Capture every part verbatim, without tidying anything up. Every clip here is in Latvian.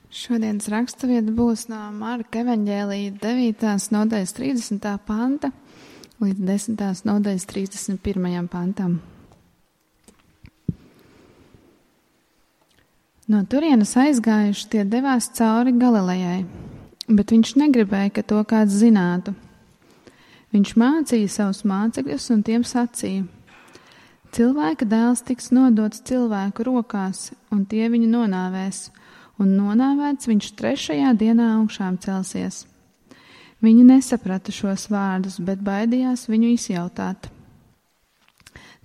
Šodienas raksturvieta būs no Marka evaņģēlija devītās nodaļas trīsdesmitā panta līdz desmitās nodaļas trīsdesmit pirmajam pantam. No turienes aizgājuši tie devās cauri Galilejai, bet viņš negribēja, ka to kāds zinātu. Viņš mācīja savus mācekļus un tiem sacīja: Cilvēka dēls tiks nodots cilvēku rokās, un tie viņu nonāvēs, un nonāvēts viņš trešajā dienā augšām celsies. Viņi nesaprata šos vārdus, bet baidījās viņu izjautāt.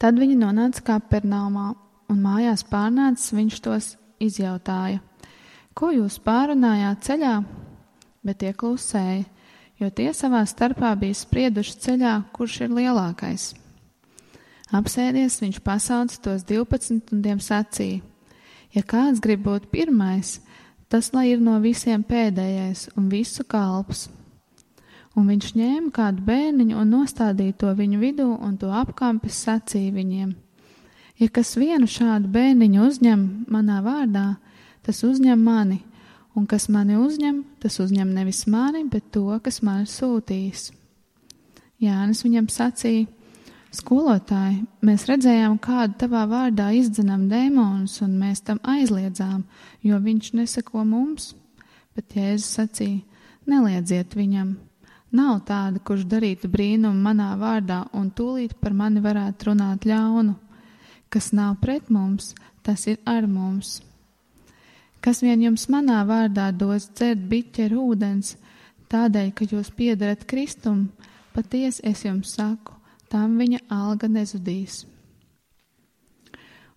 Tad viņi nonāca Kapernaumā, un mājās pārnācis viņš tos izjautāja: Ko jūs pārunājāt ceļā? Bet tie klusēja, jo tie savā starpā bija sprieduši ceļā, kurš ir lielākais. Apsēdies, viņš pasauca tos divpadsmit un tiem sacīja: Ja kāds grib būt pirmais, tas lai ir no visiem pēdējais un visu kalps. Un viņš ņēma kādu bērniņu un nostādīja to viņu vidū un to apkampis sacīja viņiem: Ja kas vienu šādu bērniņu uzņem manā vārdā, tas uzņem mani, un kas mani uzņem, tas uzņem nevis mani, bet to, kas mani sūtījis. Jānis viņam sacīja: Skolotāji, mēs redzējām, kādu tavā vārdā izdzenam dēmonus, un mēs tam aizliedzām, jo viņš neseko mums. Bet Jēzus sacīja: Neliedziet viņam. Nav tāda, kurš darītu brīnumu manā vārdā, un tūlīt par mani varētu runāt ļaunu. Kas nav pret mums, tas ir ar mums. Kas vien jums manā vārdā dos dzert biķeru ūdens, tādēļ, ka jūs piederat Kristum, patiesi es jums saku, tam viņa alga nezudīs.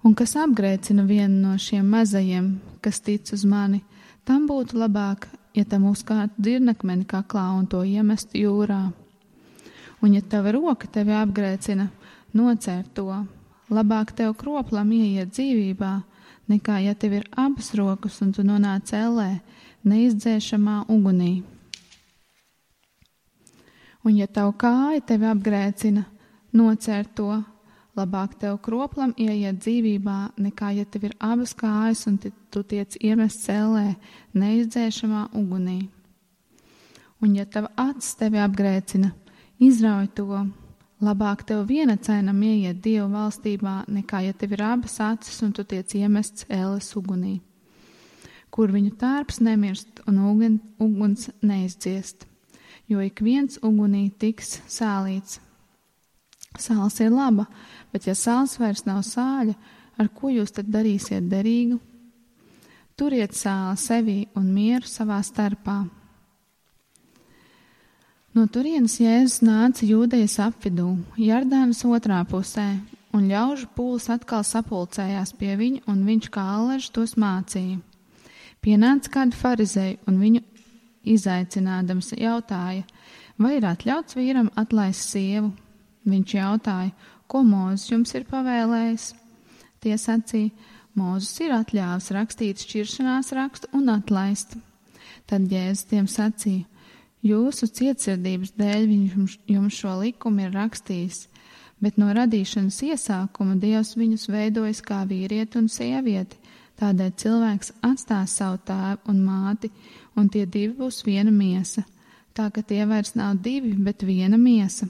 Un kas apgrēcina vienu no šiem mazajiem, kas tic uz mani, tam būtu labāk, ja tam uzkārtu dzirnakmeni kaklā un to iemestu jūrā. Un ja tava roka tevi apgrēcina, nocēr to, labāk tev kroplam ieiet dzīvībā, nekā ja tev ir abas rokas un tu nonāc ellē, neizdzēšamā ugunī. Un ja tavu kāja tevi apgrēcina, nocēr to, labāk tev kroplam ieiet dzīvībā, nekā ja tev ir abas kājas un tu tiec iemests ellē, neizdzēšamā ugunī. Un ja tava acis tevi apgrēcina, izrauj to, labāk tev vienacainam ieiet Dievu valstībā, nekā ja tev ir abas acis un tu tiec iemests elles ugunī, kur viņu tārps nemirst un ugun, uguns neizdziest, jo ik viens ugunī tiks sālīts. Sāls ir laba, bet ja sāls vairs nav sāļa, ar ko jūs tad darīsiet derīgu? Turiet sāli sevī un mieru savā starpā. No turienes Jēzus nāca Jūdejas apvidū, Jordānas otrā pusē, un ļaužu pūlis atkal sapulcējās pie viņa, un viņš kā allažs tos mācīja. Pienāca kādi farizēji, un viņu izaicinādams jautāja: Vai ir atļauts vīram atlaist sievu? Viņš jautāja: Ko Mūzes jums ir pavēlējis? Tie sacīja: Mūzes ir atļāvis rakstīt šķiršanās rakstu un atlaist. Tad Jēzus tiem sacīja: Jūsu cietsirdības dēļ viņš jums šo likumu ir rakstījis, bet no radīšanas iesākuma Dievs viņus veidojis kā vīrieti un sievieti, tādēļ cilvēks atstās savu tēvu un māti, un tie divi būs viena miesa, tā ka tie vairs nav divi, bet viena miesa.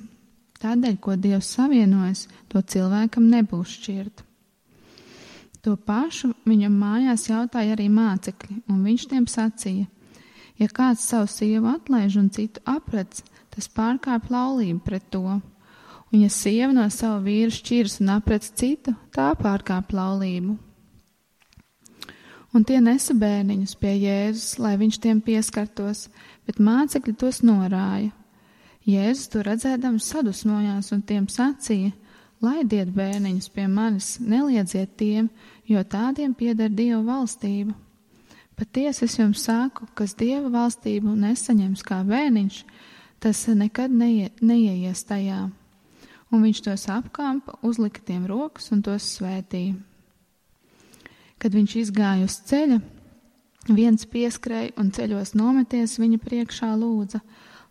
Tādēļ, ko Dievs savienojas, to cilvēkam nebūs šķirt. To pašu viņam mājās jautāja arī mācekļi, un viņš tiem sacīja: Ja kāds savu sievu atlaiž un citu aprec, tas pārkāpj laulību pret to. Un ja sieva no sava vīra šķiras un aprec citu, tā pārkāpj laulību. Un tie nesa bērniņus pie Jēzus, lai viņš tiem pieskartos, bet mācekļi tos norāja. Jēzus to redzēdams sadusmojās un tiem sacīja: Laidiet bērniņus pie manis, neliedziet tiem, jo tādiem pieder Dieva valstība. Patiesi es jums saku, kas Dieva valstību nesaņems kā bērniņš, tas nekad neie, neieies tajā. Un viņš tos apkampa, uzlika tiem rokas un tos svētīja. Kad viņš izgāja uz ceļa, viens pieskrēja un ceļos nometies viņa priekšā lūdza: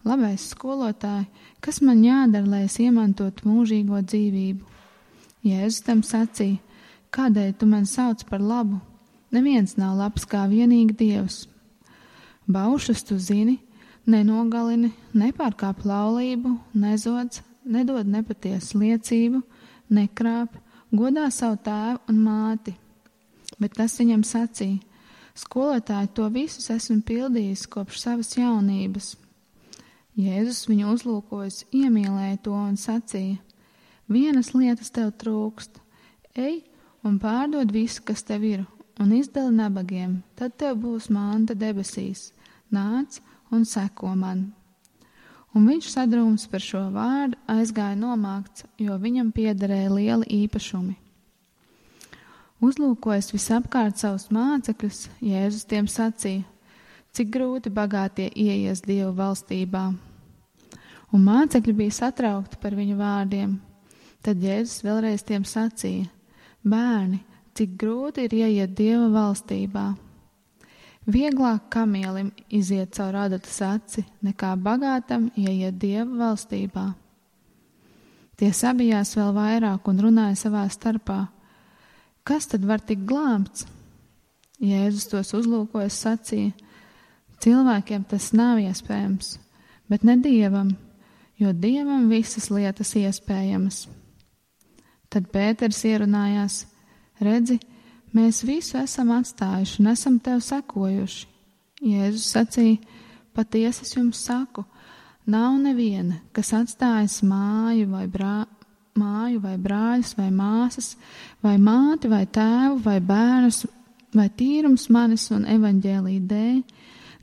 Labais skolotāji, kas man jādara, lai es iemantotu mūžīgo dzīvību? Jēzus tam sacīja: Kādēļ tu man sauc par labu? Neviens nav labs kā vienīgi Dievs. Baušus tu zini, nenogalini, nepārkāp laulību, nezodz, nedod nepatiesu liecību, nekrāp, godā savu tēvu un māti. Bet tas viņam sacīja: skolotāji, to visus esmu pildījis kopš savas jaunības. Jēzus viņu uzlūkojis, iemīlēja to un sacīja: vienas lietas tev trūkst, ej un pārdod visu, kas tev ir, un izdali nabagiem, tad tev būs manta debesīs, nāc un seko man. Un viņš sadrūms par šo vārdu aizgāja nomākts, jo viņam piederēja lieli īpašumi. Uzlūkojis visapkārt savus mācekļus, Jēzus tiem sacīja: cik grūti bagātie ieies Dievu valstībā. Un mācekļi bija satraukti par viņu vārdiem. Tad Jēzus vēlreiz tiem sacīja: bērni, cik grūti ir ieiet Dieva valstībā. Vieglāk kamielim iziet caur adatas aci, nekā bagātam ieiet Dieva valstībā. Tie sabijās vēl vairāk un runāja savā starpā: kas tad var tikt glābts? Jēzus tos uzlūkojas sacīja: cilvēkiem tas nav iespējams, bet ne Dievam, jo Dievam visas lietas iespējamas. Tad Pēters ierunājās: redzi, mēs visu esam atstājuši un esam tev sekojuši. Jēzus sacīja: patiesi es jums saku, nav neviena, kas atstājas māju vai, brā, māju vai brāļus vai māsas, vai māti vai tēvu vai bērnus, vai tīrums manis un evaņģēlī dēļ,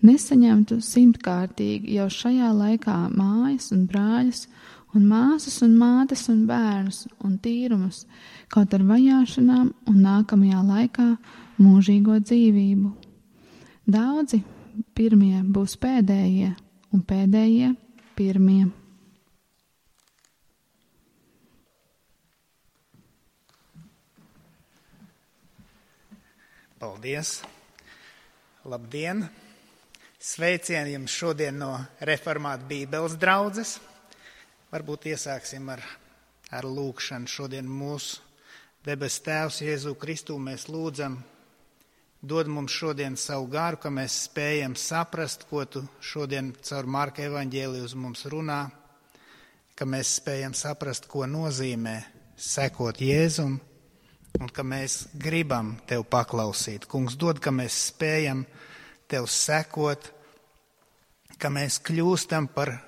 nesaņemtu simtkārtīgi jau šajā laikā mājas un brāļus, un māsas un mātes un bērnus un tīrumus, kaut ar vajāšanām un nākamajā laikā mūžīgo dzīvību. Daudzi pirmie būs pēdējie, un pēdējie pirmie. Paldies! Labdien! Sveicieni jums šodien no Reformātu Bībeles draudzes. Varbūt iesāksim ar, ar lūgšanu. Šodien mūsu debes Tēvs Jēzu Kristu mēs lūdzam, dod mums šodien savu garu, ka mēs spējam saprast, ko tu šodien caur Marka evaņģēliju uz mums runā, ka mēs spējam saprast, ko nozīmē sekot Jēzum un ka mēs gribam tev paklausīt. Kungs, dod, ka mēs spējam tev sekot, ka mēs kļūstam par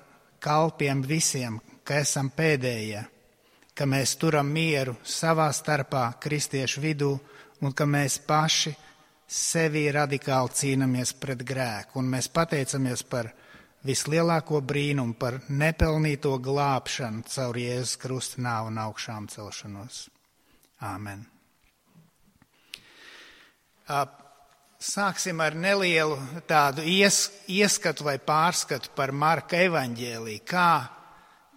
kalpiem visiem, ka esam pēdējie, ka mēs turam mieru savā starpā kristiešu vidū un ka mēs paši sevi radikāli cīnamies pret grēku. Un mēs pateicamies par vislielāko brīnumu, par nepelnīto glābšanu caur Jēzus Krusta nāvu un augšām celšanos. Āmen. Sāksim ar nelielu tādu ies, ieskatu vai pārskatu par Marka evaņģēliju. Kā,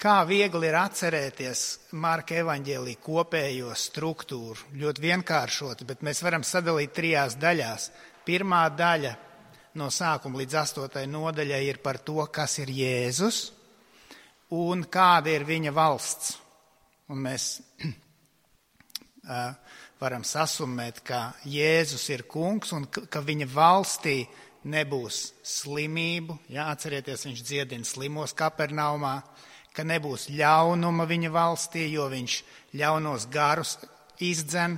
kā viegli ir atcerēties Marka evaņģēliju kopējo struktūru. Ļoti vienkāršot, bet mēs varam sadalīt trijās daļās. Pirmā daļa no sākuma līdz astotai nodaļai ir par to, kas ir Jēzus un kāda ir viņa valsts. Un mēs uh, varam sasummēt, ka Jēzus ir kungs un ka viņa valstī nebūs slimību. Jā, atcerieties, viņš dziedina slimos Kapernaumā, ka nebūs ļaunuma viņa valstī, jo viņš ļaunos garus izdzen,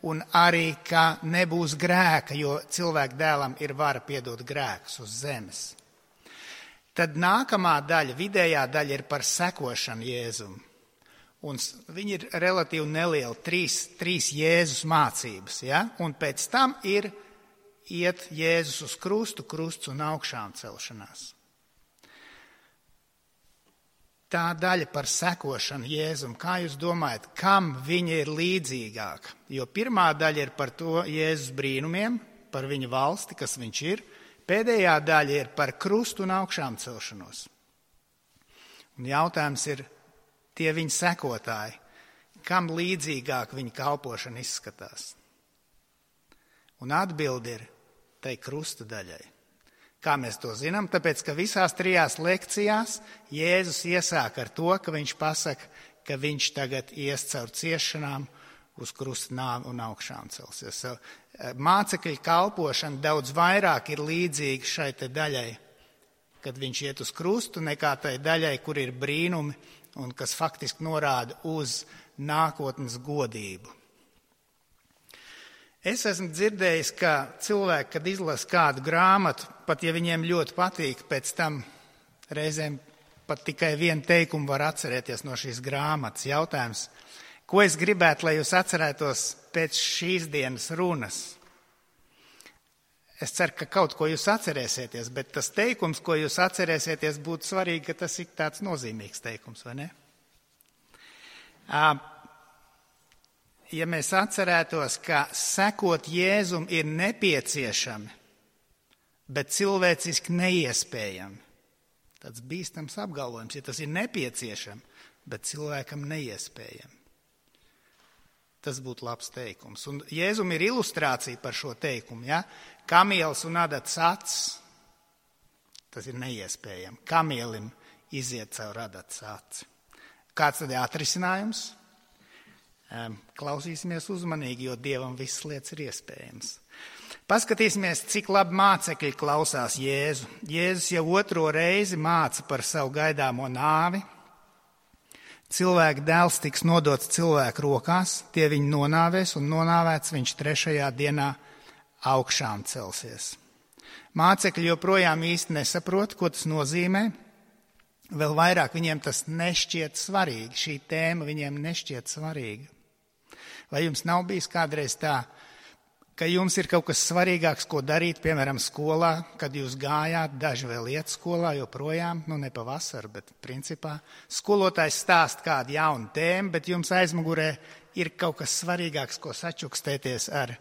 un arī, ka nebūs grēka, jo cilvēku dēlam ir vara piedot grēkus uz zemes. Tad nākamā daļa, vidējā daļa ir par sekošanu Jēzum. Un viņi ir relatīvi nelieli, trīs, trīs Jēzus mācības, ja? Un pēc tam ir iet Jēzus uz krustu, krusts un augšām celšanās. Tā daļa par sekošanu Jēzum, kā jūs domājat, kam viņa ir līdzīgāka? Jo pirmā daļa ir par to Jēzus brīnumiem, par viņa valsti, kas viņš ir. Pēdējā daļa ir par krustu un augšām celšanos. Un jautājums ir, tie viņa sekotāji, kam līdzīgāk viņa kalpošana izskatās? Un atbildi ir tai krusta daļai. Kā mēs to zinām? Tāpēc, ka visās trijās lekcijās Jēzus iesāk ar to, ka viņš pasaka, ka viņš tagad ies caur ciešanām uz krusta nāvi un augšām celsies. mācekļu kalpošana daudz vairāk ir līdzīga šai te daļai, kad viņš iet uz krustu, nekā tai daļai, kur ir brīnumi un kas faktiski norāda uz nākotnes godību. Es esmu dzirdējis, ka cilvēki, kad izlasa kādu grāmatu, pat ja viņiem ļoti patīk, pēc tam reizēm pat tikai vienu teikumu var atcerēties no šīs grāmatas. Jautājums, ko es gribētu, lai jūs atcerētos pēc šīs dienas runas? Es ceru, ka kaut ko jūs atcerēsieties, bet tas teikums, ko jūs atcerēsieties, būtu svarīgi, ka tas ir tāds nozīmīgs teikums, vai ne? Ja mēs atcerētos, ka sekot Jēzum ir nepieciešami, bet cilvēciski neiespējami. Tāds bīstams apgalvojums, ja tas ir nepieciešami, bet cilvēkam neiespējami. Tas būtu labs teikums. Un Jēzum ir ilustrācija par šo teikumu, ja? Kamielis un adats acis, tas ir neiespējami. Kamielim iziet caur adats aci. Kāds tad ir atrisinājums? Klausīsimies uzmanīgi, jo Dievam visas lietas ir iespējams. Paskatīsimies, cik labi mācekļi klausās Jēzu. Jēzus jau otro reizi māca par savu gaidāmo nāvi. Cilvēka dēls tiks nodots cilvēku rokās, tie viņu nonāvēs un nonāvēts viņš trešajā dienā augšām celsies. Mācekļi joprojām īsti nesaprot, ko tas nozīmē. Vēl vairāk viņiem tas nešķiet svarīgi, šī tēma viņiem nešķiet svarīga. Vai jums nav bijis kādreiz tā, ka jums ir kaut kas svarīgāks, ko darīt, piemēram, skolā, kad jūs gājāt, daži vēl iet skolā joprojām, nu ne pavasar, bet principā skolotājs stāst kādu jaunu tēmu, bet jums aizmugurē ir kaut kas svarīgāks, ko sačukstēties ar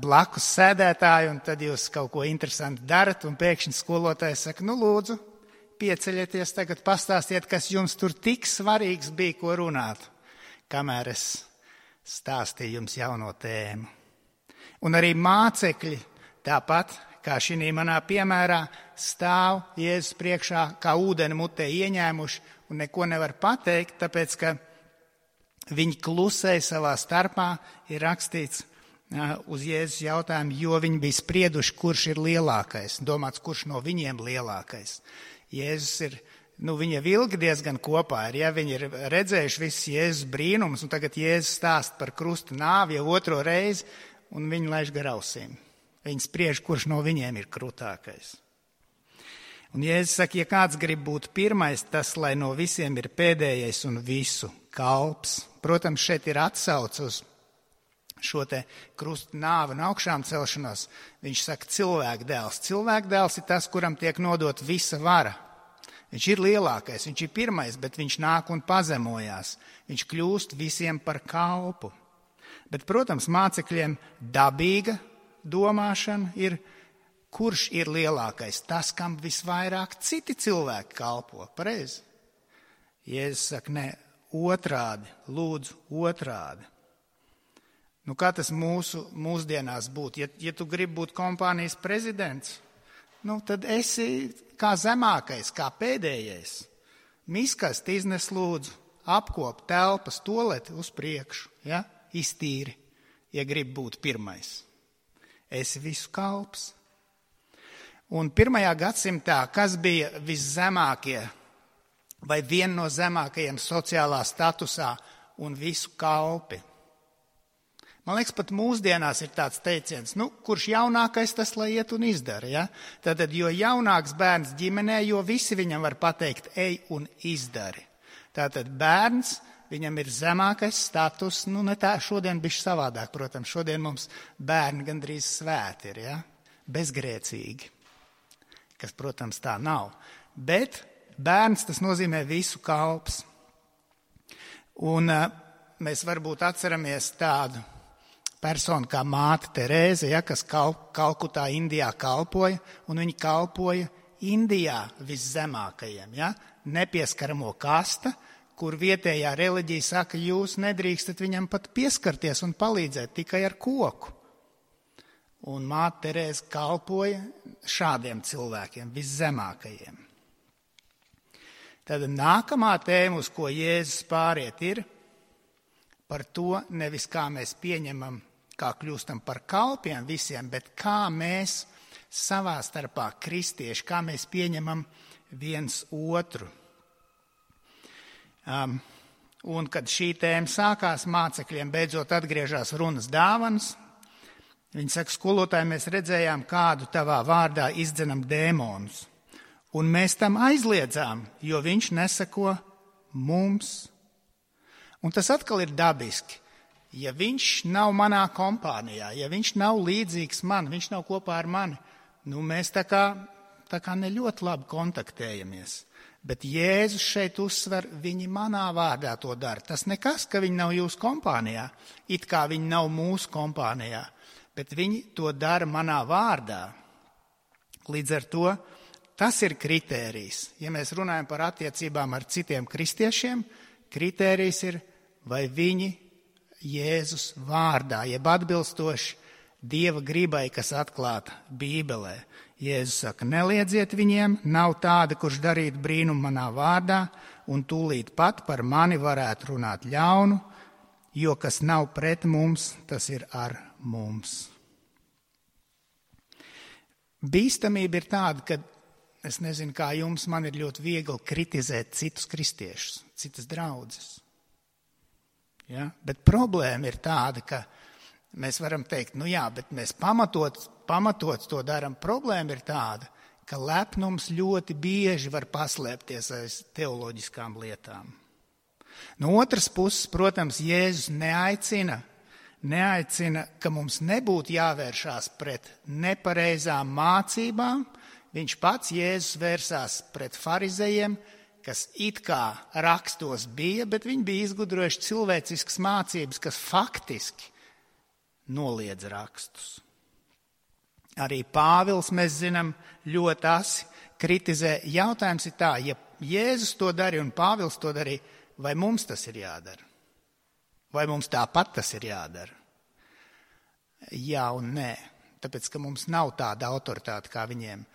blakus sēdētāju, un tad jūs kaut ko interesanti darat, un pēkšņi skolotājs saka, nu lūdzu, pieceļieties tagad, pastāstiet, kas jums tur tik svarīgs bija, ko runāt, kamēr es stāstīju jums jauno tēmu. Un arī mācekļi, tāpat kā šī manā piemērā, stāv Jēzus priekšā, kā ūdeni mutē ieņēmuši un neko nevar pateikt, tāpēc, ka viņi klusēja savā starpā, ir rakstīts uz Jēzus jautājumu, jo viņi bija sprieduši, kurš ir lielākais, domāts, kurš no viņiem lielākais. Jēzus ir, nu viņi jau ilgi diezgan kopā ir, ja viņi ir redzējuši visus Jēzus brīnumus, un tagad Jēzus stāst par krusta nāvi jau otro reizi, un viņi laiž gar ausīm. Viņi spriež, kurš no viņiem ir krutākais. Un Jēzus saka, ja kāds grib būt pirmais, tas, lai no visiem ir pēdējais un visu kalps. Protams, šeit ir atsauce uz šo te krusta nāvi un augšām celšanos. Viņš saka, cilvēka dēls. Cilvēka dēls ir tas, kuram tiek nodot visa vara. Viņš ir lielākais, viņš ir pirmais, bet viņš nāk un pazemojās. Viņš kļūst visiem par kalpu. Bet, protams, mācekļiem dabīga domāšana ir, kurš ir lielākais, tas, kam visvairāk citi cilvēki kalpo. Pareizi? Jēzus saka, ne, otrādi, lūdzu, otrādi. Nu, kā tas mūsu mūsdienās būtu? Ja, ja tu gribi būt kompānijas prezidents, nu, tad esi kā zemākais, kā pēdējais. Miskast iznes lūdzu, apkop telpas, toleti uz priekšu, ja? Iztīri, ja gribi būt pirmais. Esi visu kalps. Un pirmajā gadsimtā, kas bija viszemākie vai viena no zemākajiem sociālā statusā un visu kalpi? Man liekas, pat mūsdienās ir tāds teiciens, nu, kurš jaunākais, tas lai iet un izdara, ja? Tātad, jo jaunāks bērns ģimenē, jo visi viņam var pateikt, ej un izdari. Tātad bērns, viņam ir zemākais status, nu, ne tā, šodien bišķi savādāk, protams, šodien mums bērni gandrīz svēti ir, ja? Bezgrēcīgi, kas, protams, tā nav. Bet bērns, tas nozīmē visu kalps. Un uh, mēs varbūt atceramies tādu personu kā māte Terēze, ja, kas Kal- Kalkutā, Indijā kalpoja, un viņi kalpoja Indijā viszemākajiem, ja, nepieskaramo kasta, kur vietējā reliģija saka, jūs nedrīkstat viņam pat pieskarties un palīdzēt tikai ar koku. Un māte Terēze kalpoja šādiem cilvēkiem, viszemākajiem. Tad nākamā tēma, uz ko Jēzus pāriet, ir par to, nevis kā mēs pieņemam kā kļūstam par kalpiem visiem, bet kā mēs savā starpā kristieši, kā mēs pieņemam viens otru. Um, un kad šī tēma sākās, mācekļiem beidzot atgriežās runas dāvanas. Viņi saka, skolotāji, mēs redzējām, kādu tavā vārdā izdzenam dēmonus. Un mēs tam aizliedzām, jo viņš nesako mums. Un tas atkal ir dabiski. Ja viņš nav manā kompānijā, ja viņš nav līdzīgs man, viņš nav kopā ar mani, nu mēs tā kā, tā kā ne ļoti labi kontaktējamies. Bet Jēzus šeit uzsver, viņi manā vārdā to dara. Tas nekas, ka viņi nav jūsu kompānijā, it kā viņi nav mūsu kompānijā, bet viņi to dara manā vārdā. Līdz ar to tas ir kritērijs. Ja mēs runājam par attiecībām ar citiem kristiešiem, kritērijs ir, vai viņi Jēzus vārdā, jeb atbilstoši Dieva gribai, kas atklāta Bībelē. Jēzus saka, neliedziet viņiem, nav tāda, kurš darīt brīnumu manā vārdā, un tūlīt pat par mani varētu runāt ļaunu, jo kas nav pret mums, tas ir ar mums. Bīstamība ir tāda, ka, es nezinu, kā jums, man ir ļoti viegli kritizēt citus kristiešus, citas draudzes. Ja? Bet problēma ir tāda, ka mēs varam teikt, nu jā, bet mēs pamatot, pamatot to daram. Problēma ir tāda, ka lepnums ļoti bieži var paslēpties aiz teoloģiskām lietām. No otras puses, protams, Jēzus neaicina, neaicina, ka mums nebūtu jāvēršās pret nepareizām mācībām. Viņš pats, Jēzus, vērsās pret farizejiem, kas it kā rakstos bija, bet viņi bija izgudrojuši cilvēciskas mācības, kas faktiski noliedz rakstus. Arī Pāvils, mēs zinām, ļoti asi kritizē. Jautājums ir tā, ja Jēzus to darīja un Pāvils to darīja, vai mums tas ir jādara? Vai mums tāpat tas ir jādara? Jā un nē, tāpēc, ka mums nav tāda autoritāte kā viņiem.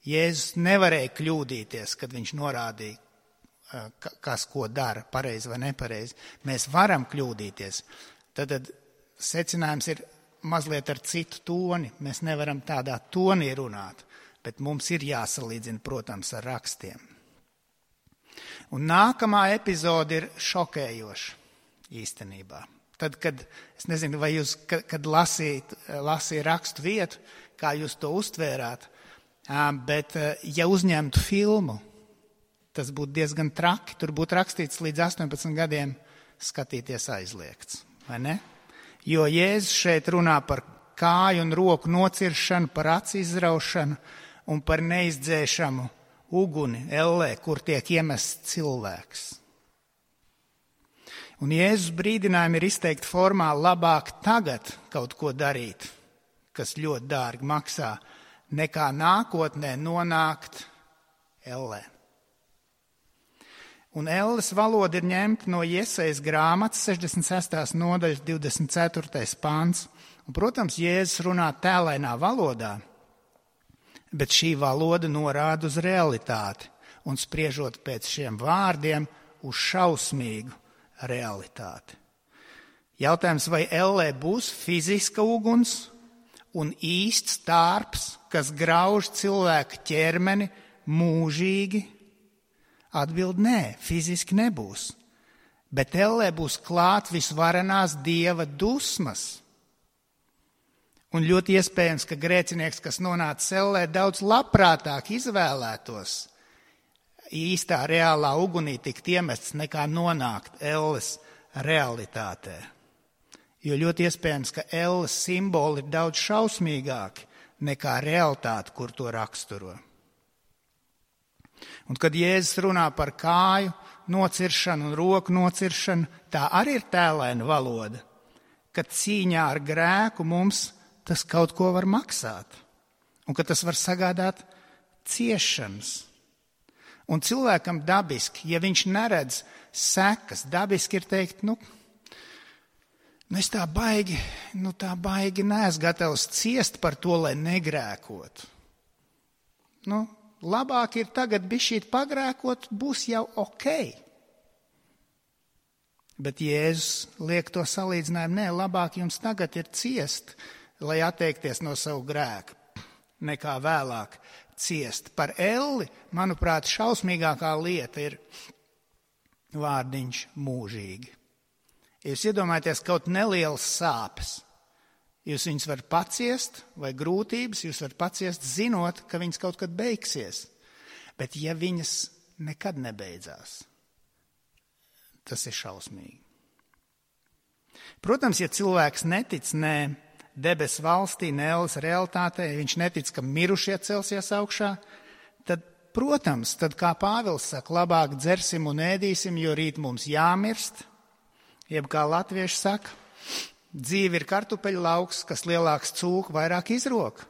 Jēzus nevarēja kļūdīties, kad viņš norādīja, kas ko dara, pareizi vai nepareizi. Mēs varam kļūdīties. Tad, tad secinājums ir mazliet ar citu toni. Mēs nevaram tādā tonī runāt, bet mums ir jāsalīdzina, protams, ar rakstiem. Un nākamā epizode ir šokējoša īstenībā. Tad, kad, es nezinu, vai jūs, kad, kad lasīt, lasīja rakstu vietu, kā jūs to uztvērāt, bet ja uzņemtu filmu, tas būtu diezgan traki. Tur būtu rakstīts līdz astoņpadsmit gadiem skatīties aizliegts, vai ne? Jo Jēzus šeit runā par kāju un roku nociršanu, par aci izraušanu un par neizdzēšamu uguni ellē, kur tiek iemests cilvēks. Un Jēzus brīdinājumi ir izteikti formā labāk tagad kaut ko darīt, kas ļoti dārgi maksā, nekā nākotnē nonākt ellē. Un elles valoda ir ņemta no Jesajas grāmatas sešdesmit sestās nodaļas divdesmit ceturtais pāns. Un, protams, Jēzus runā tēlainā valodā, bet šī valoda norāda uz realitāti un spriežot pēc šiem vārdiem uz šausmīgu realitāti. Jautājums, vai ellē būs fiziska uguns un īsts tārps, kas grauž cilvēku ķermeni mūžīgi? Atbild nē, fiziski nebūs, bet ellē būs klāt visvarenās Dieva dusmas. Un ļoti iespējams, ka grēcinieks, kas nonāca ellē, daudz labprātāk izvēlētos īstā reālā ugunī tikt iemests, nekā nonākt elles realitātē. Jo ļoti iespējams, ka elles simboli ir daudz šausmīgāki nekā realitāte, kur to raksturo. Un kad Jēzus runā par kāju nociršanu un roku nociršanu, tā arī ir tēlaina valoda, ka cīņā ar grēku mums tas kaut ko var maksāt un ka tas var sagādāt ciešanas. Un cilvēkam dabiski, ja viņš neredz sekas, dabiski ir teikt, nu, nu es tā baigi, nu tā baigi neesmu gatavs ciest par to, lai negrēkotu. Nu, labāk ir tagad bišķīt pagrēkot, būs jau ok. Bet Jēzus liek to salīdzinājumu, nē, labāk jums tagad ir ciest, lai atteikties no savu grēku, nekā vēlāk ciest. Par elli, manuprāt, šausmīgākā lieta ir vārdiņš mūžīgi. Jūs iedomājaties kaut nelielas sāpes. Jūs viņus var paciest vai grūtības, jūs var paciest zinot, ka viņas kaut kad beigsies. Bet ja viņas nekad nebeidzās, tas ir šausmīgi. Protams, ja cilvēks netic ne debesu valstī, ne elles realitātei, ja viņš netic, ka mirušie celsies augšā, tad, protams, tad kā Pāvils saka, labāk dzersim un ēdīsim, jo rīt mums jāmirst, jeb kā latvieši saka, dzīve ir kartupeļu lauks, kas lielāks cūku vairāk izrok.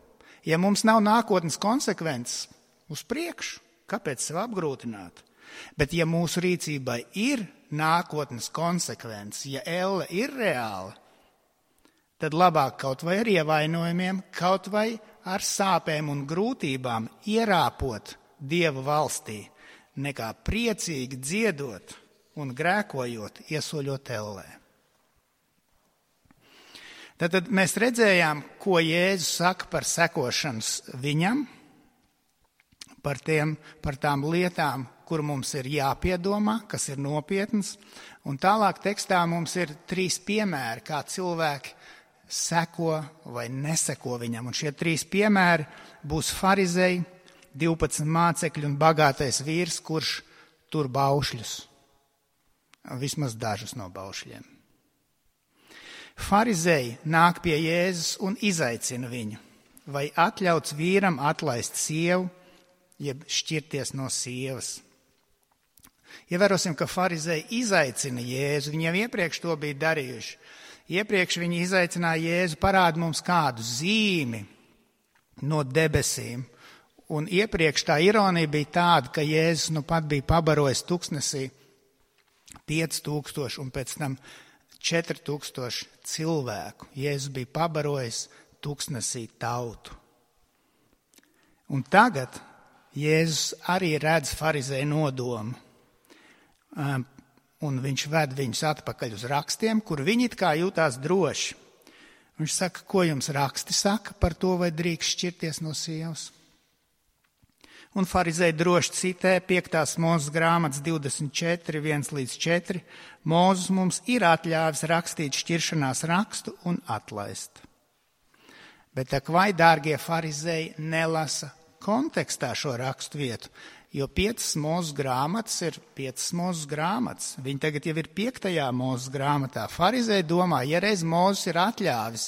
Ja mums nav nākotnes konsekvences uz priekšu, kāpēc sev apgrūtināt? Bet ja mūsu rīcībai ir nākotnes konsekvences, ja elle ir reāla, tad labāk kaut vai ar ievainojumiem, kaut vai ar sāpēm un grūtībām ierāpot Dieva valstī, nekā priecīgi dziedot un grēkojot, iesoļot ellē. Tad mēs redzējām, ko Jēzus saka par sekošanas viņam, par, tiem, par tām lietām, kur mums ir jāpiedomā, kas ir nopietnas. Un tālāk tekstā mums ir trīs piemēri, kā cilvēki seko vai neseko viņam. Un šie trīs piemēri būs farizei, divpadsmit mācekļi un bagātais vīrs, kurš tur baušļus. Vismaz dažus no baušļiem. Farizei nāk pie Jēzus un izaicina viņu, vai atļauts vīram atlaist sievu, jeb šķirties no sievas. Ievērosim, ka farizei izaicina Jēzu, viņi jau iepriekš to bija darījuši. Iepriekš viņi izaicināja Jēzu, parāda mums kādu zīmi no debesīm. Un iepriekš tā ironija bija tāda, ka Jēzus nu pat bija pabarojis tuksnesī pieci tūkstoši un pēc tam četri tūkstoši cilvēku. Jēzus bija pabarojis tuksnesī tautu. Un tagad Jēzus arī redz farizēju nodomu. Un viņš ved viņus atpakaļ uz rakstiem, kur viņi it kā jūtās droši. Viņš saka, ko jums raksti saka par to, vai drīkst šķirties no sievas? Un farizēji droši citē piektās Mūzes grāmatas divdesmit četri, viens līdz četri. Mūzes mums ir atļāvis rakstīt šķiršanās rakstu un atlaist. Bet tak vai, dārgie farizēji, nelasa kontekstā šo rakstu vietu, jo piecas Mūzes grāmatas ir piecas Mūzes grāmatas. Viņi tagad jau ir piektajā Mūzes grāmatā. Farizēji domā, ja reiz Mūzes ir atļāvis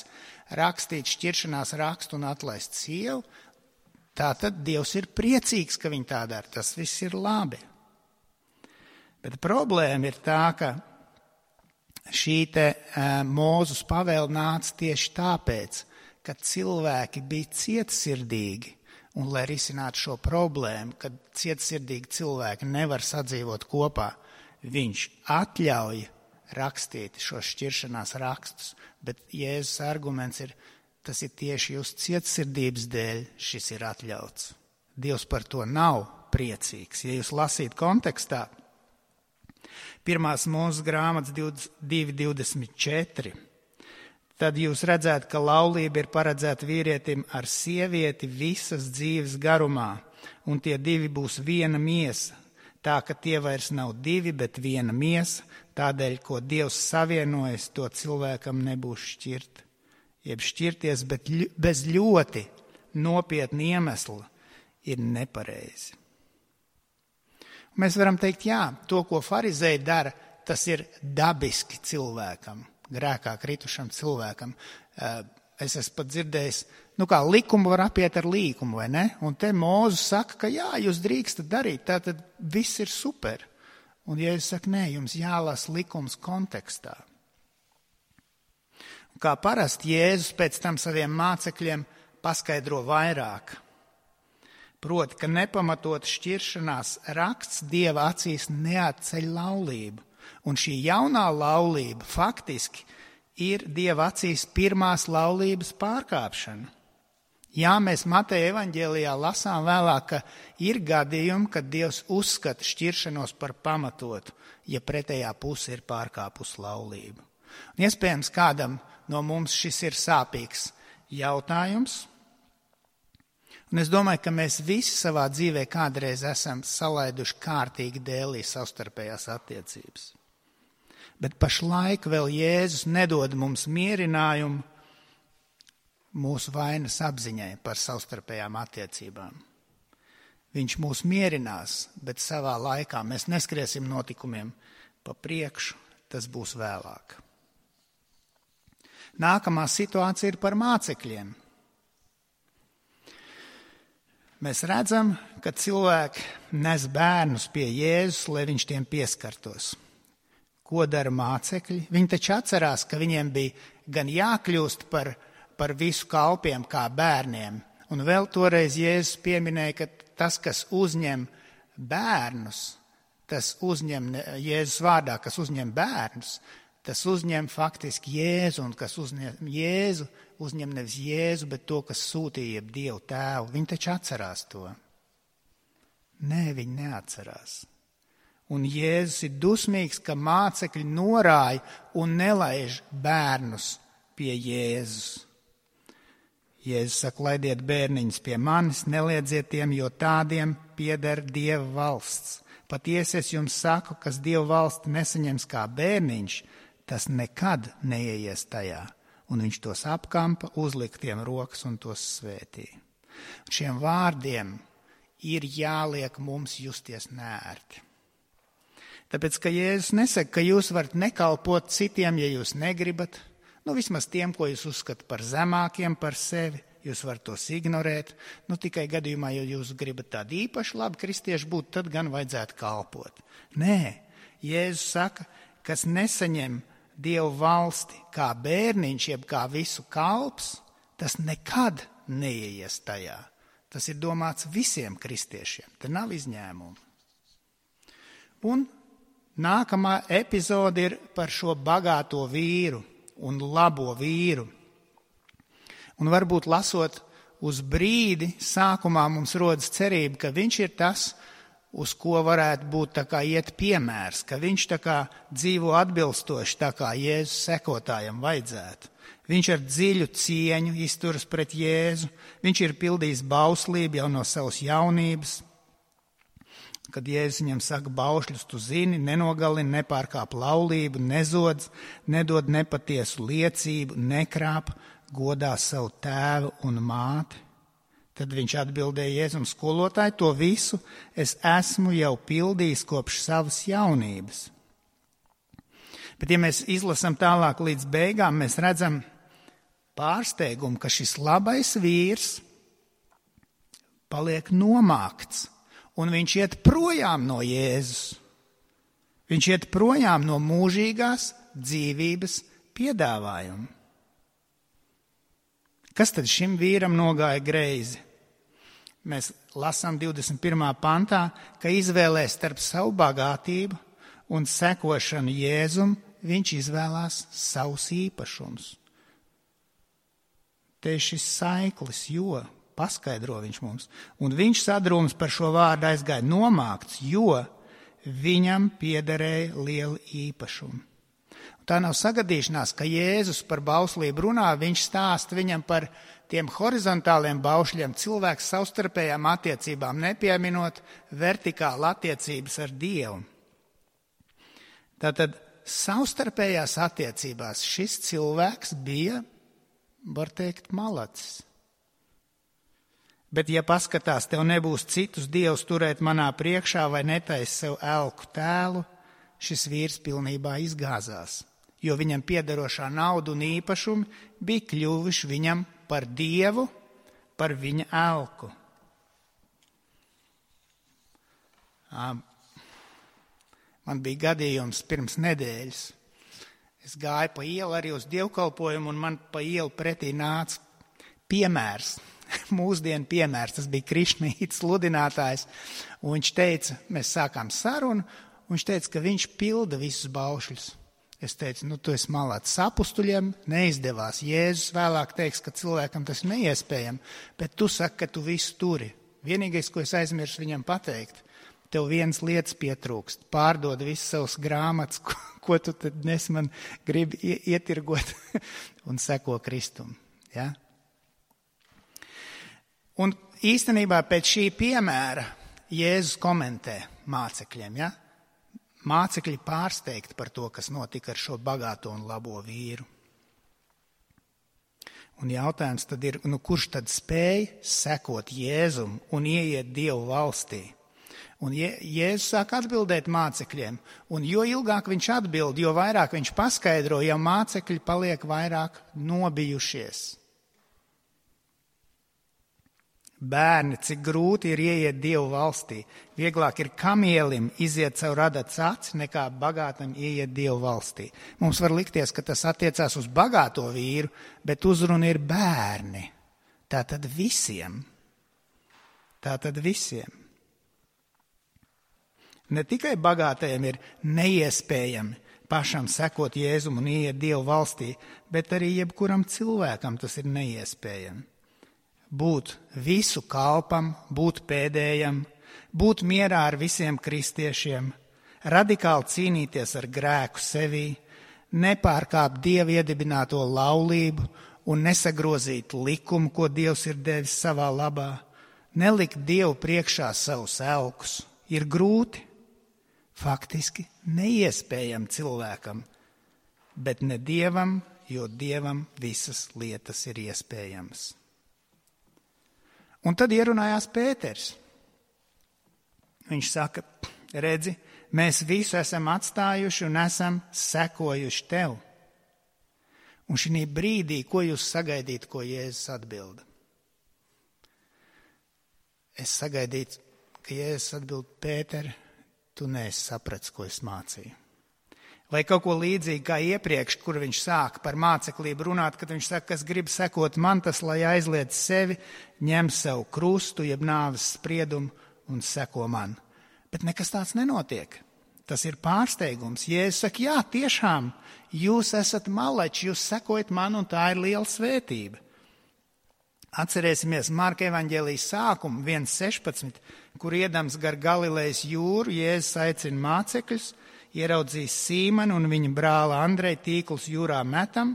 rakstīt šķiršanās rakstu un atlaist sievu, tātad Dievs ir priecīgs, ka viņi tā dara. Tas viss ir labi. Bet problēma ir tā, ka šī te uh, Mūzes pavēle nāca tieši tāpēc, ka cilvēki bija cietsirdīgi. Un, lai risinātu šo problēmu, kad cietsirdīgi cilvēki nevar sadzīvot kopā, viņš atļauj rakstīt šos šķiršanās rakstus. Bet Jēzus arguments ir, tas ir tieši jūsu cietsirdības dēļ šis ir atļauts. Dievs par to nav priecīgs. Ja jūs lasīt kontekstā, pirmās Mūzes grāmatas divi divdesmit četri, tad jūs redzētu, ka laulība ir paredzēta vīrietim ar sievieti visas dzīves garumā, un tie divi būs viena miesa, tā ka tie vairs nav divi, bet viena miesa, tādēļ, ko Dievs savienojas, to cilvēkam nebūs šķirt. Jeb šķirties, bet bez ļoti nopietna iemesla ir nepareizi. Mēs varam teikt, jā, to, ko farizēji dara, tas ir dabiski cilvēkam, grēkā kritušam cilvēkam. Es esmu pat dzirdējis, nu kā likumu var apiet ar līkumu, vai ne? Un te Mūzes saka, ka jā, jūs drīkstat darīt, tātad viss ir super. Un Jēzus saka, nē, jums jālasa likums kontekstā. Kā parasti Jēzus pēc tam saviem mācekļiem paskaidro vairāk. Proti, ka nepamatot šķiršanās raksts Dieva acīs neatceļ laulību. Un šī jaunā laulība faktiski ir Dieva acīs pirmās laulības pārkāpšana. Jā, mēs Mateja evaņģēlijā lasām vēlāk, ka ir gadījumi, kad Dievs uzskata šķiršanos par pamatotu, ja pretējā puse ir pārkāpusi laulību. Un iespējams, kādam no mums šis ir sāpīgs jautājums. Un es domāju, ka mēs visi savā dzīvē kādreiz esam salaiduši kārtīgi dēlī savstarpējās attiecības. Bet pašlaik vēl Jēzus nedod mums mierinājumu mūsu vainas apziņai par savstarpējām attiecībām. Viņš mūs mierinās, bet savā laikā mēs neskriesim notikumiem pa priekšu, tas būs vēlāk. Nākamā situācija ir par mācekļiem. Mēs redzam, ka cilvēki nes bērnus pie Jēzus, lai viņš tiem pieskartos. Ko dara mācekļi? Viņi taču atcerās, ka viņiem bija gan jākļūst par, par visu kalpiem kā bērniem. Un vēl toreiz Jēzus pieminēja, ka tas, kas uzņem bērnus, tas uzņem Jēzus vārdā, kas uzņem bērnus, tas uzņem faktiski Jēzu, un kas uzņem Jēzu, uzņem nevis Jēzu, bet to, kas sūtīja Dievu tēvu. Viņi taču atcerās to. Nē, viņi neatcerās. Un Jēzus ir dusmīgs, ka mācekļi norāja un nelaiž bērnus pie Jēzus. Jēzus saka, laidiet bērniņus pie manis, neliedziet tiem, jo tādiem pieder Dieva valsts. Patiesi es jums saku, kas Dieva valsti nesaņems kā bērniņš, tas nekad neieies tajā. Un viņš tos apkampa, uzlika tiem rokas un tos svētīja. Šiem vārdiem ir jāliek mums justies neērti. Tāpēc, ka Jēzus nesaka, ka jūs varat nekalpot citiem, ja jūs negribat, nu vismaz tiem, ko jūs uzskata par zemākiem par sevi, jūs varat tos ignorēt, nu tikai gadījumā, ja jūs gribat tādu īpaši labi kristieši būt, tad gan vajadzētu kalpot. Nē, Jēzus saka, kas nesaņem Dievu valsti kā bērniņš, jeb kā visu kalps, tas nekad neieies tajā. Tas ir domāts visiem kristiešiem, te nav izņēmumu. Un nākamā epizode ir par šo bagāto vīru un labo vīru. Un varbūt lasot uz brīdi, sākumā mums rodas cerība, ka viņš ir tas, uz ko varētu būt tā kā iet piemērs, ka viņš tā kā dzīvo atbilstoši tā kā Jēzus sekotājam vajadzētu. Viņš ar dziļu cieņu izturas pret Jēzu, viņš ir pildījis bauslību jau no savas jaunības. Kad Jēzus viņam saka, baušļus tu zini, nenogalini, nepārkāp laulību, nezodz, nedod nepatiesu liecību, nekrāp, godā savu tēvu un māti. Tad viņš atbildēja Jēzum, skolotāji, to visu es esmu jau pildījis kopš savas jaunības. Bet ja mēs izlasam tālāk līdz beigām, mēs redzam pārsteigumu, ka šis labais vīrs paliek nomākts, un viņš iet projām no Jēzus. Viņš iet projām no mūžīgās dzīvības piedāvājuma. Kas tad šim vīram nogāja greizi? Mēs lasām divdesmit pirmā pantā, ka izvēlēs starp savu bagātību un sekošanu Jēzum, viņš izvēlās savus īpašumus. Te ir šis saiklis, jo, paskaidro viņš mums, un viņš sadrūms par šo vārdu aizgāja nomākts, jo viņam piederēja lieli īpašumi. Tā nav sagadīšanās, ka Jēzus par bauslību runā, viņš stāsta viņam par tiem horizontāliem baušļiem, cilvēks savstarpējām attiecībām, nepieminot vertikāli attiecības ar Dievu. Tātad savstarpējās attiecībās šis cilvēks bija, var teikt, malacis. Bet ja paskatās, tev nebūs citus dievus turēt manā priekšā vai netais sev elku tēlu, šis vīrs pilnībā izgāzās, jo viņam piederošā nauda un īpašumi bija kļuvuši viņam par dievu, par viņa elku. Man bija gadījums pirms nedēļas. Es gāju pa ielu arī uz dievkalpojumu, un man pa ielu pretī nāca piemērs, mūsdienu piemērs. Tas bija Krišnītas sludinātājs, un viņš teica, mēs sākām sarunu, un viņš teica, ka viņš pilda visus baušļus. Es teicu, nu tu esi malāts sapustuļiem, neizdevās. Jēzus vēlāk teiks, ka cilvēkam tas ir neiespējami, bet tu saki, ka tu visu turi. Vienīgais, ko es aizmirsu viņam pateikt, tev viens lietas pietrūkst. Pārdod visas savas grāmatas, ko, ko tu tad nes man gribi ietirgot un seko Kristum. Ja? Un īstenībā pēc šī piemēra Jēzus komentē mācekļiem, ja? Mācekļi pārsteigti par to, kas notika ar šo bagāto un labo vīru. Un jautājums tad ir, nu kurš tad spēj sekot Jēzum un ieiet Dievu valstī? Un Jēzus sāk atbildēt mācekļiem, un jo ilgāk viņš atbild, jo vairāk viņš paskaidro, jo mācekļi paliek vairāk nobijušies. Bērni, cik grūti ir ieiet Dievu valstī. Vieglāk ir kamielim iziet caur adats aci, nekā bagātam ieiet Dievu valstī. Mums var likties, ka tas attiecās uz bagāto vīru, bet uzruna ir bērni. Tātad visiem. Tātad visiem. Ne tikai bagātajiem ir neiespējami pašam sekot Jēzum un ieiet Dievu valstī, bet arī jebkuram cilvēkam tas ir neiespējami. Būt visu kalpam, būt pēdējam, būt mierā ar visiem kristiešiem, radikāli cīnīties ar grēku sevī, nepārkāpt Dieva iedibināto laulību un nesagrozīt likumu, ko Dievs ir devis savā labā, nelikt Dievu priekšā savus elkus, ir grūti, faktiski neiespējami cilvēkam, bet ne Dievam, jo Dievam visas lietas ir iespējamas. Un tad ierunājās Pēters. Viņš saka, redzi, mēs visu esam atstājuši un esam sekojuši tev. Un šī brīdī, ko jūs sagaidītu, ko Jēzus atbilda? Es sagaidītu, ka Jēzus atbild, Pēter, tu neesi sapratis, ko es mācīju. Vai kaut ko līdzīgi kā iepriekš, kur viņš sāk par māceklību runāt, kad viņš saka, kas grib sekot man, tas, lai aizliedz sevi, ņem sev krustu, jeb nāves spriedumu un seko man. Bet nekas tāds nenotiek. Tas ir pārsteigums. Jēzus saka, jā, tiešām, jūs esat maleči, jūs sekojat man, un tā ir liela svētība. Atcerēsimies Marka evaņģēlijas sākumu, viens sešpadsmit, kur iedams gar Galilejas jūru, Jēzus aicina mācekļus, ieraudzījis Sīmanu un viņa brāli Andreju tīklus jūrā metam.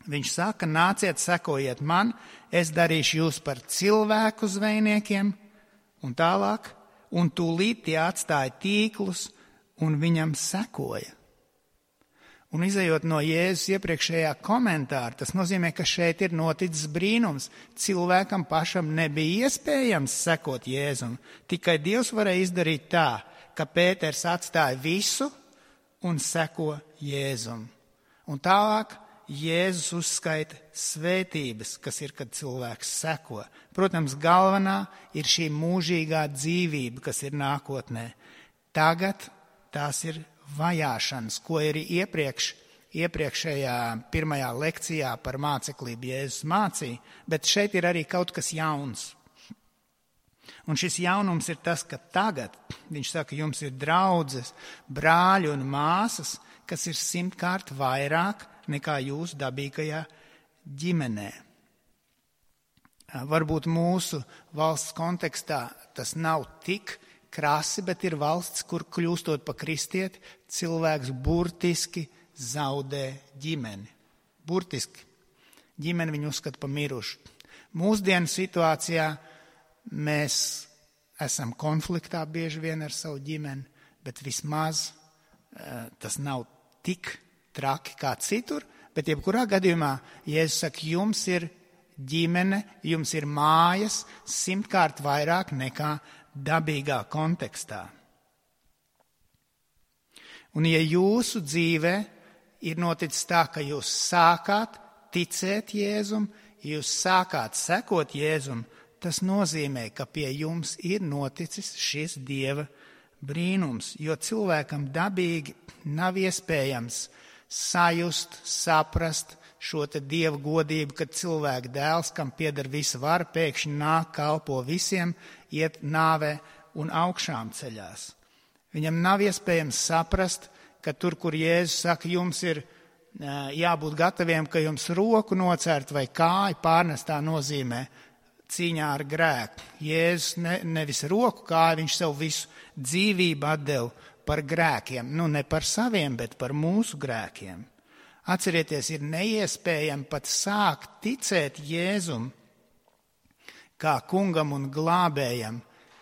Viņš saka, nāciet, sekojiet man, es darīšu jūs par cilvēku zvejniekiem, un tālāk, un tūlīt tie atstāja tīklus un viņam sekoja. Un izejot no Jēzus iepriekšējā komentāra, tas nozīmē, ka šeit ir noticis brīnums. Cilvēkam pašam nebija iespējams sekot Jēzum, tikai Dievs varēja izdarīt tā, ka Pēters atstāja visu un seko Jēzum. Un tālāk Jēzus uzskaita svētības, kas ir, kad cilvēks seko. Protams, galvenā ir šī mūžīgā dzīvība, kas ir nākotnē. Tagad tās ir vajāšanas, ko arī iepriekš, iepriekšējā pirmajā lekcijā par māceklību Jēzus mācīja, bet šeit ir arī kaut kas jauns. Un šis jaunums ir tas, ka tagad, viņš saka, jums ir draudzes, brāļi un māsas, kas ir simtkārt vairāk nekā jūsu dabīgajā ģimenē. Varbūt mūsu valsts kontekstā tas nav tik krasi, bet ir valsts, kur kļūstot pa kristieti, cilvēks burtiski zaudē ģimeni. Burtiski. Ģimeni viņu uzskata pa mirušu. Mūsdienu situācijā mēs esam konfliktā bieži vien ar savu ģimeni, bet vismaz uh, tas nav tik traki kā citur, bet jebkurā gadījumā, Jēzus saka, jums ir ģimene, jums ir mājas simtkārt vairāk nekā dabīgā kontekstā. Un ja jūsu dzīvē ir noticis tā, ka jūs sākāt ticēt Jēzum, jūs sākāt sekot Jēzum, tas nozīmē, ka pie jums ir noticis šis Dieva brīnums, jo cilvēkam dabīgi nav iespējams sajust, saprast šo te Dieva godību, kad cilvēka dēls, kam pieder visa vara, pēkšņi nāk, kalpo visiem, iet nāvē un augšām ceļās. Viņam nav iespējams saprast, ka tur, kur Jēzus saka, jums ir jābūt gataviem, ka jums roku nocērt vai kāju pārnest, tā nozīmē cīņā ar grēku. Jēzus ne, nevis roku kāju, viņš savu visu dzīvību atdeva par grēkiem. Nu, ne par saviem, bet par mūsu grēkiem. Atcerieties, ir neiespējami pat sākt ticēt Jēzum kā kungam un glābējam,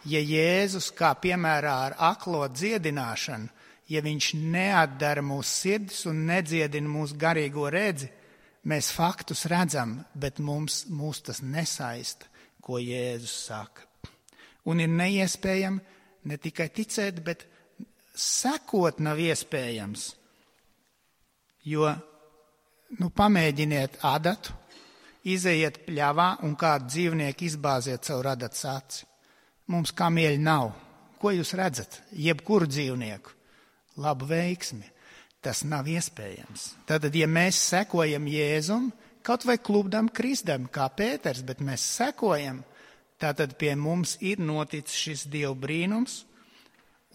ja Jēzus, kā piemērā ar aklo dziedināšanu, ja viņš neatdara mūsu sirdis un nedziedina mūsu garīgo redzi, mēs faktus redzam, bet mums, mūs tas nesaista, ko Jēzus saka. Un ir neiespējami ne tikai ticēt, bet sekot nav iespējams. Jo, nu, pamēģiniet adatu, izejiet pļavā un kādu dzīvnieku izbāziet savu adatas aci. Mums kamieļi nav. Ko jūs redzat? Jebkuru dzīvnieku. Labu veiksmi. Tas nav iespējams. Tātad, ja mēs sekojam Jēzum, kaut vai klubdam kristam, kā Pēters, bet mēs sekojam, tātad pie mums ir noticis šis Dieva brīnums,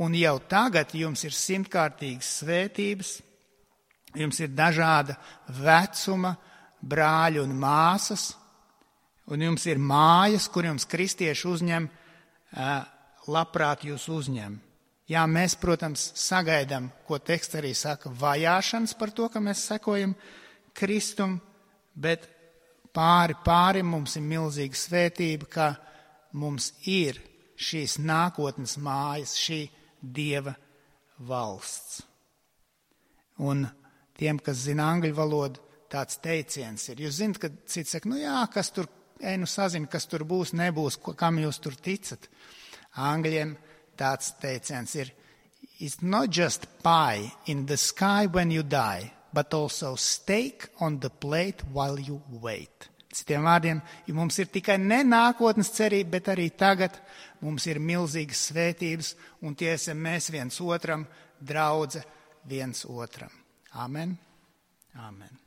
un jau tagad jums ir simtkārtīgas svētības, jums ir dažāda vecuma brāļi un māsas, un jums ir mājas, kur jums kristieši uzņem, labprāt jūs uzņem. Jā, mēs, protams, sagaidām, ko teksts arī saka, vajāšanas par to, ka mēs sekojam Kristum, bet pāri pāri mums ir milzīga svētība, ka mums ir šīs nākotnes mājas, šī Dieva valsts. Un tiem, kas zina angļu valodu, tāds teiciens ir. Jūs zinat, ka cits saka, nu jā, kas tur, ej, nu sazina, kas tur būs, nebūs, kam jūs tur ticat. Angļiem tāds teiciens ir, it's not just pie in the sky when you die, but also steak on the plate while you wait. Citiem vārdiem, ja mums ir tikai ne nākotnes cerība, bet arī tagad mums ir milzīgas svētības, un tie esam mēs viens otram, draudze viens otram. Amen. Amen.